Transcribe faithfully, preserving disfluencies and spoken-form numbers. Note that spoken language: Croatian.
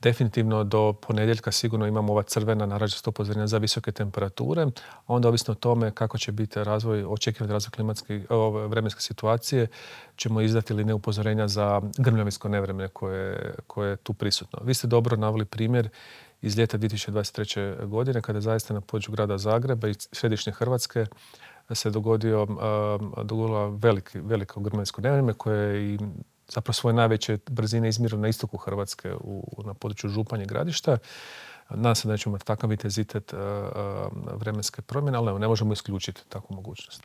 Definitivno do ponedjeljka sigurno imamo ova crvena narančasta upozorenja za visoke temperature, a onda ovisno o tome kako će biti razvoj, očekivani razvoj klimatske, ove vremenske situacije ćemo izdati ili ne upozorenja za grmljavinsko nevreme koje, koje je tu prisutno. Vi ste dobro naveli primjer iz ljeta dvije tisuće dvadeset treće. godine kada je zaista na području grada Zagreba i središnje Hrvatske se dogodio, uh, dogodilo veliki, veliko grmljavinsko nevrijeme koje je i zapravo svoje najveće brzine izmjerilo na istoku Hrvatske u, na području Županje i Gradišta. Nadam se da nećemo imati takav intenzitet uh, uh, vremenske promjene, ali evo, ne možemo isključiti takvu mogućnost.